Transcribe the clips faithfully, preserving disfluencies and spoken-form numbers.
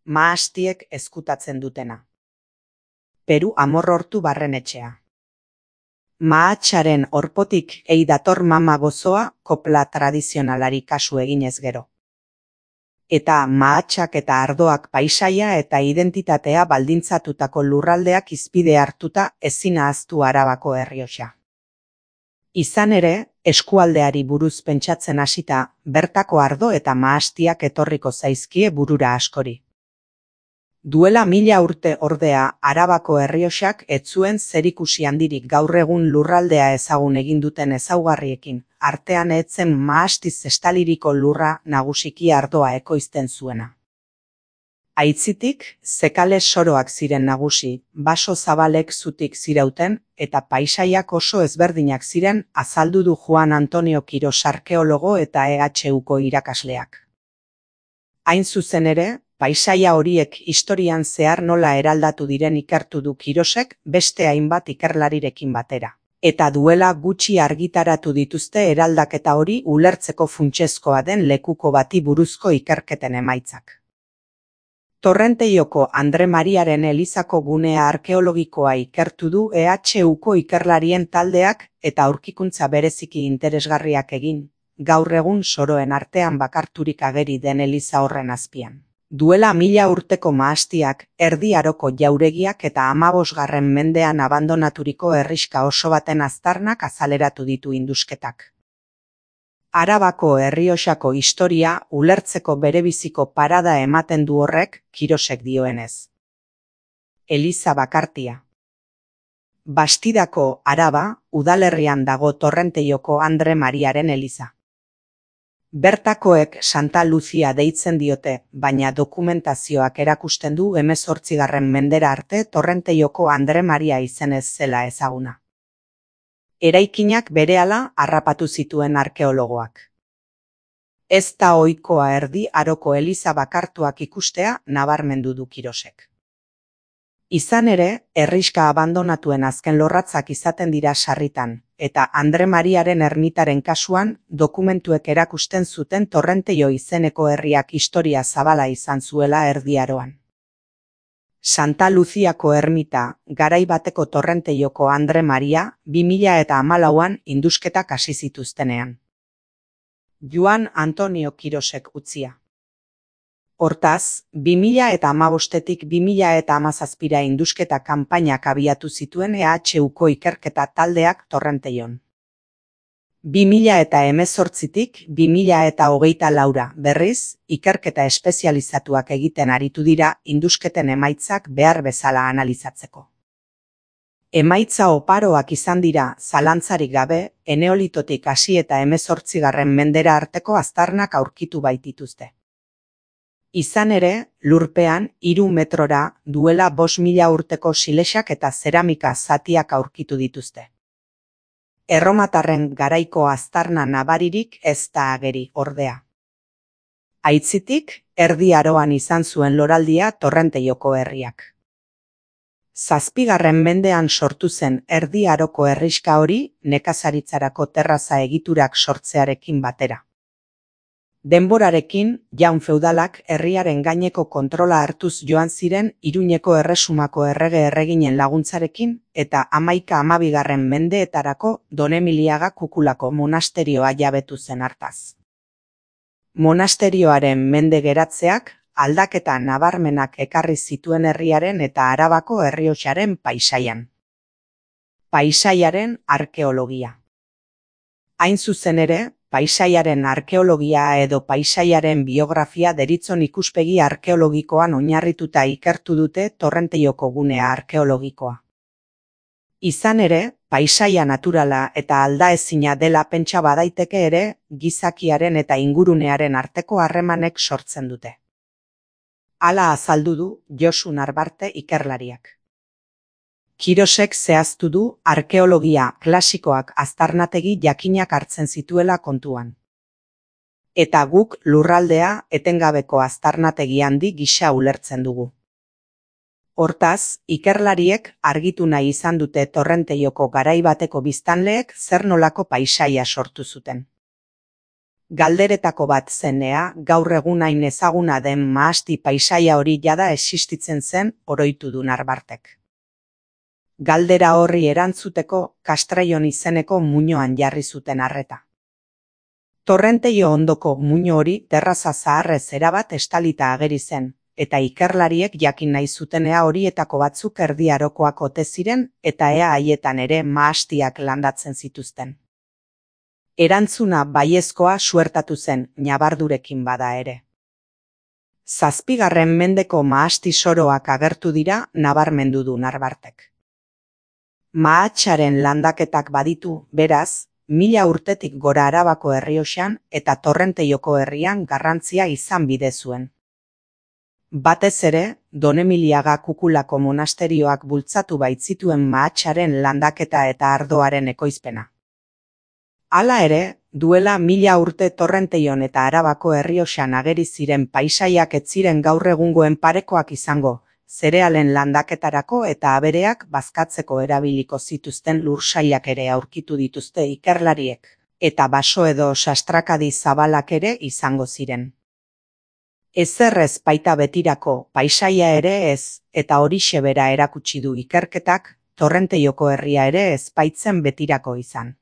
mahastiek ezkutatzen dutena. Peru Amorrortu barrenetxea. Mahatsaren orpotik ei dator mama gozoa kopla tradizionalari kasu eginez gero. Eta mahatsak eta ardoak paisaia eta identitatea baldintzatutako lurraldeak hizpide hartuta ezin ahaztu Arabako Errioxa. Izan ere, eskualdeari buruz pentsatzen hasita, bertako ardo eta mahastiak etorriko zaizkie burura askori. Duela mila urte ordea, Arabako Errioxak ez zuen zerikusi handirik gaur egun lurraldea ezagun egin duten ezaugarriekin, artean etzen mahastiz estaliriko lurra nagusiki ardoa ekoizten zuena. Aitzitik, zekale soroak ziren nagusi, baso zabalek zutik zirauten, eta paisaiak oso ezberdinak ziren azaldu du Juan Antonio Kiros arkeologo eta E H Uko irakasleak. Hain zuzen ere, paisaia horiek historian zehar nola eraldatu diren ikertu du Kirosek beste hainbat ikerlarirekin batera. Eta duela gutxi argitaratu dituzte eraldaketa hori ulertzeko funtsezkoa den lekuko bati buruzko ikerketen emaitzak. Torrenteioko Andre Mariaren elizako gunea arkeologikoa ikertu du E H Uko ikerlarien taldeak eta aurkikuntza bereziki interesgarriak egin, gaur egun soroen artean bakarturik ageri den eliza horren azpian. Duela mila urteko mahastiak, Erdi Aroko jauregiak eta hamabosgarren mendean abandonaturiko herrixka oso baten aztarnak azaleratu ditu indusketak. Arabako Errioxako historia ulertzeko berebiziko parada ematen du horrek, Kirosek dioenez. Eliza bakartia. Bastidako Araba, udalerrian dago Torrenteioko Andre Mariaren eliza. Bertakoek Santa Lucia deitzen diote, baina dokumentazioak erakusten du hemezortzigarren mendera arte Torrenteioko Andre Maria izenez zela ezaguna. Eraikinak berehala harrapatu zituen arkeologoak. Ez da ohikoa Erdi Aroko eliza bakartuak ikustea nabarmendu du Kirosek. Izan ere, herrixka abandonatuen azken lorratzak izaten dira sarritan, eta Andre Mariaren ermitaren kasuan dokumentuek erakusten zuten Torrenteio izeneko herriak historia zabala izan zuela Erdi Aroan. Santa Luziako ermita, garai bateko Torrenteioko Andre Maria, bi mila eta hamalauan indusketak hasi zituztenean. Juan Antonio Kirosek utzia. Hortaz, bi mila eta hamabostetik bi mila eta hamazazpira indusketa kanpainak abiatu zituen E H Uko ikerketa taldeak Torrenteion. bi mila eta hemezortzitik bi mila eta hogeita laura berriz, ikerketa espezializatuak egiten aritu dira indusketen emaitzak behar bezala analizatzeko. Emaitza oparoak izan dira, zalantzarik gabe, eneolitotik hasi eta hemezortzigarren mendera arteko aztarnak aurkitu baitituzte. Izan ere, lurpean, hiru metrora, duela bost mila urteko silexak eta zeramika zatiak aurkitu dituzte. Erromatarren garaiko aztarna nabaririk ez da ageri ordea. Aitzitik, Erdi Aroan izan zuen loraldia Torrenteioko herriak. Zazpigarren mendean sortu zen Erdi Aroko herrixka hori nekazaritzarako terraza egiturak sortzearekin batera. Denborarekin, jaun feudalak herriaren gaineko kontrola hartuz joan ziren Iruñeko erresumako errege erreginen laguntzarekin eta hamaika hamabigarren mendeetarako Donemiliaga kukulako monasterioa jabetu zen hartaz. Monasterioaren mende geratzeak aldaketa nabarmenak ekarri zituen herriaren eta Arabako Errioxaren paisaian. Paisaiaren arkeologia. Hain zuzen ere, paisaiaren arkeologia edo paisaiaren biografia deritzon ikuspegi arkeologikoan oinarrituta ikertu dute Torrenteioko gunea arkeologikoa. Izan ere, paisaia naturala eta aldaezina dela pentsa badaiteke ere, gizakiaren eta ingurunearen arteko harremanek sortzen dute. Hala azaldu du Josu Narbarte ikerlariak. Kirosek zehaztu du arkeologia klasikoak aztarnategi jakinak hartzen zituela kontuan. Eta guk lurraldea etengabeko aztarnategi handi gisa ulertzen dugu. Hortaz, ikerlariek argitu nahi izan dute Torrenteioko garai bateko biztanleek zer nolako paisaia sortu zuten. Galderetako bat zenea, gaur egun hain ezaguna den mahasti paisaia hori jada existitzen zen oroitu du Narbartek. Galdera horri erantzuteko Castraion izeneko muinoan jarri zuten arreta. Torrenteio ondoko muino hori terraza zaharrez erabat estalita ageri zen, eta ikerlariek jakin nahi zutenea horietako batzuk Erdi Arokoak ote ziren eta ea haietan ere mahastiak landatzen zituzten. Erantzuna baiezkoa suertatu zen, ñabardurekin bada ere. Zazpigarren mendeko mahasti soroak agertu dira nabarmendu du Narbartek. Mahatsaren landaketak baditu, beraz, mila urtetik gora Arabako Errioxan eta Torrenteioko herrian garrantzia izan bide zuen. Batez ere, Donemiliaga kukulako monasterioak bultzatu baitzituen mahatsaren landaketa eta ardoaren ekoizpena. Hala ere, duela mila urte Torrenteion eta Arabako Errioxan ageri ziren paisaiak ez ziren gaur egungoen parekoak izango, zerealen landaketarako eta abereak bazkatzeko erabiliko zituzten lursailak ere aurkitu dituzte ikerlariek, eta baso edo sastrakadi zabalak ere izango ziren. Ezer ez baita betirako, paisaia ere ez, eta horixe bera erakutsi du ikerketak, Torrenteioko herria ere ez baitzen betirako izan.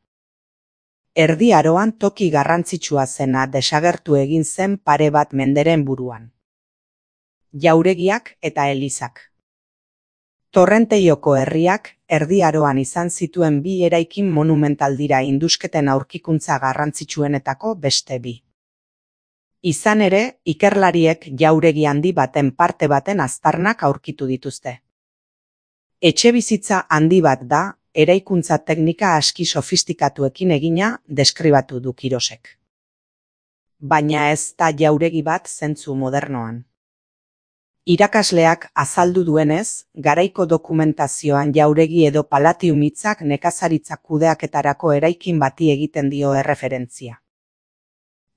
Erdi Aroan toki garrantzitsua zena desagertu egin zen pare bat menderen buruan. Jauregiak eta elizak. Torrenteioko herriak Erdi Aroan izan zituen bi eraikin monumental dira indusketen aurkikuntza garrantzitsuenetako beste bi. Izan ere, ikerlariek jauregi handi baten parte baten aztarnak aurkitu dituzte. Etxebizitza handi bat da, eraikuntza teknika aski sofistikatuekin egina deskribatu du Kirosek. Baina ez da jauregi bat zentzu modernoan. Irakasleak azaldu duenez, garaiko dokumentazioan jauregi edo palatium hitzak nekazaritza kudeaketarako eraikin bati egiten dio erreferentzia.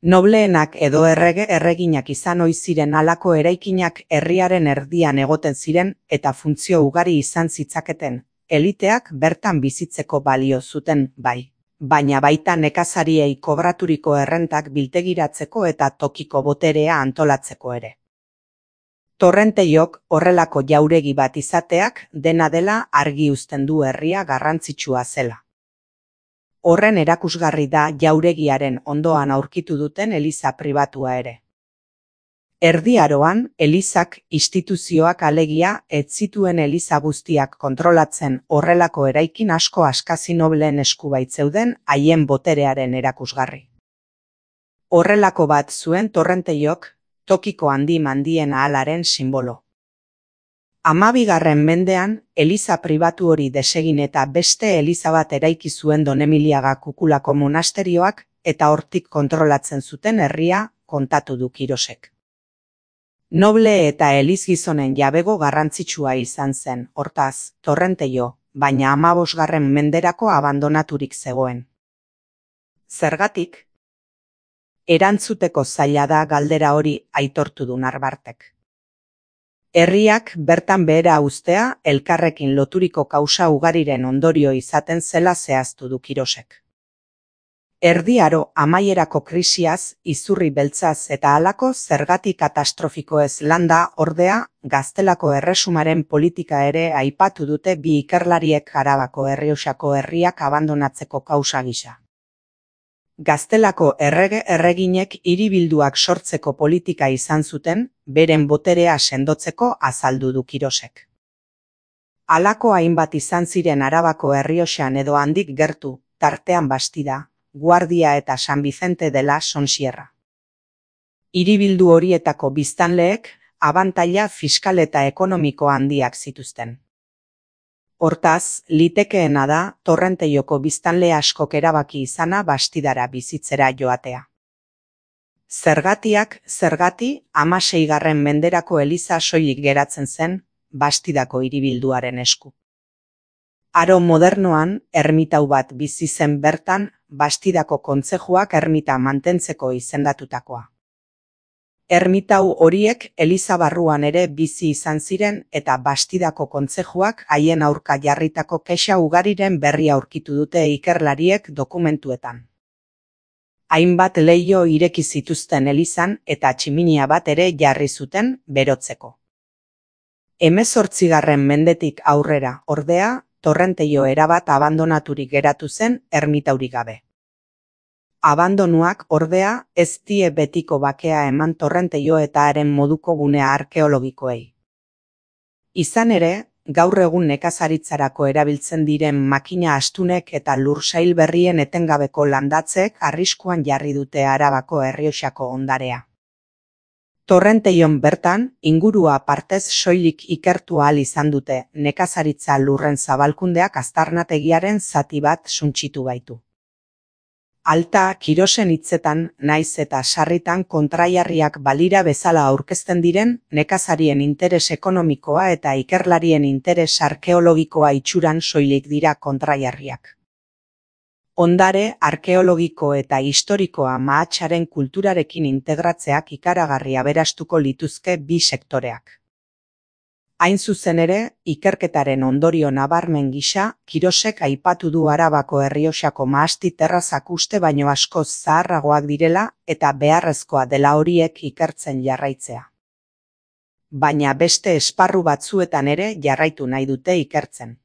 Nobleenak edo errege erreginak izan ohi ziren halako eraikinak herriaren erdian egoten ziren eta funtzio ugari izan zitzaketen, eliteak bertan bizitzeko balio zuten bai, baina baita nekazariei kobraturiko errentak biltegiratzeko eta tokiko boterea antolatzeko ere. Torrenteiok horrelako jauregi bat izateak dena dela argi uzten du herria garrantzitsua zela. Horren erakusgarri da jauregiaren ondoan aurkitu duten eliza pribatua ere. Erdi Aroan, elizak instituzioak alegia ez zituen eliza guztiak kontrolatzen horrelako eraikin asko askazi nobleen esku baitzeuden haien boterearen erakusgarri. Horrelako bat zuen Torrenteiok, tokiko handi mandien ahalaren sinbolo. Hamabigarren mendean, eliza pribatu hori desegin eta beste eliza bat eraiki zuen Donemiliaga kukulako monasterioak eta hortik kontrolatzen zuten herria kontatu du Kirosek. Noble eta elizgizonen jabego garrantzitsua izan zen, hortaz, Torrenteio, baina hamabosgarren menderako abandonaturik zegoen. Zergatik? Erantzuteko zaila da galdera hori aitortu du Narbartek. Herriak bertan behera uztea elkarrekin loturiko kausa ugariren ondorio izaten zela zehaztu du Kirosek. Erdi Aro amaierako krisiaz, izurri beltzaz eta halako zergati katastrofikoez landa ordea, Gaztelako erresumaren politika ere aipatu dute bi ikerlariek Arabako Errioxako herriak abandonatzeko kausa gisa. Gaztelako errege erreginek hiribilduak sortzeko politika izan zuten, beren boterea sendotzeko azaldu du Kirosek. Halako hainbat izan ziren Arabako Errioxan edo handik gertu, tartean Bastida, Guardia eta San Vicente de la Sonsierra. Hiribildu horietako biztanleek abantaila fiskal eta ekonomiko handiak zituzten. Hortaz, litekeena da Torrenteioko biztanle askok erabaki izana Bastidara bizitzera joatea. Zergatiak zergati hamaseigarren menderako eliza soilik geratzen zen Bastidako hiribilduaren esku. Aro modernoan, ermitau bat bizi zen bertan Bastidako kontzejuak ermita mantentzeko izendatutakoa. Ermitau horiek eliza barruan ere bizi izan ziren eta Bastidako kontzejuak haien aurka jarritako kexa ugariren berri aurkitu dute ikerlariek dokumentuetan. Hainbat leiho ireki zituzten elizan eta tximinia bat ere jarri zuten berotzeko. Hemezortzigarren mendetik aurrera, ordea, Torrenteio erabat abandonaturik geratu zen ermitaurik gabe. Abandonuak, ordea, ez die betiko bakea eman Torrenteio eta haren moduko gune arkeologikoei. Izan ere, gaur egun nekazaritzarako erabiltzen diren makina astunek eta lursail berrien etengabeko landatzek arriskuan jarri dute Arabako Errioxako ondarea. Torrenteion bertan, ingurua partez soilik ikertu ahal izan dute, nekazaritza lurren zabalkundeak aztarnategiaren zati bat suntsitu baitu. Alta, Kirosen hitzetan, naiz eta sarritan kontraiarriak balira bezala aurkezten diren, nekazarien interes ekonomikoa eta ikerlarien interes arkeologikoa itxuran soilik dira kontraiarriak. Ondare, arkeologiko eta historikoa mahatsaren kulturarekin integratzeak ikaragarri aberastuko lituzke bi sektoreak. Hain zuzen ere, ikerketaren ondorio nabarmen gisa, Kirosek aipatu du Arabako Errioxako mahasti terrazak uste baino askoz zaharragoak direla eta beharrezkoa dela horiek ikertzen jarraitzea. Baina beste esparru batzuetan ere jarraitu nahi dute ikertzen.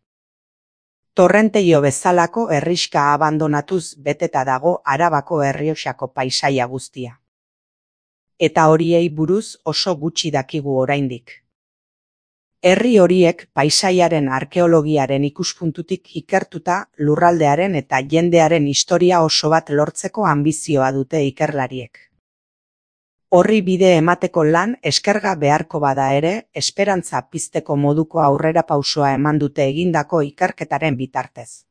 Torrenteio bezalako herrixka abandonatuz beteta dago Arabako Errioxako paisaia guztia. Eta horiei buruz oso gutxi dakigu oraindik. Herri horiek paisaiaren arkeologiaren ikuspuntutik ikertuta lurraldearen eta jendearen historia oso bat lortzeko anbizioa dute ikerlariek. Horri bide emateko lan eskerga beharko bada ere, esperantza pizteko moduko aurrerapausoa eman dute egindako ikerketaren bitartez.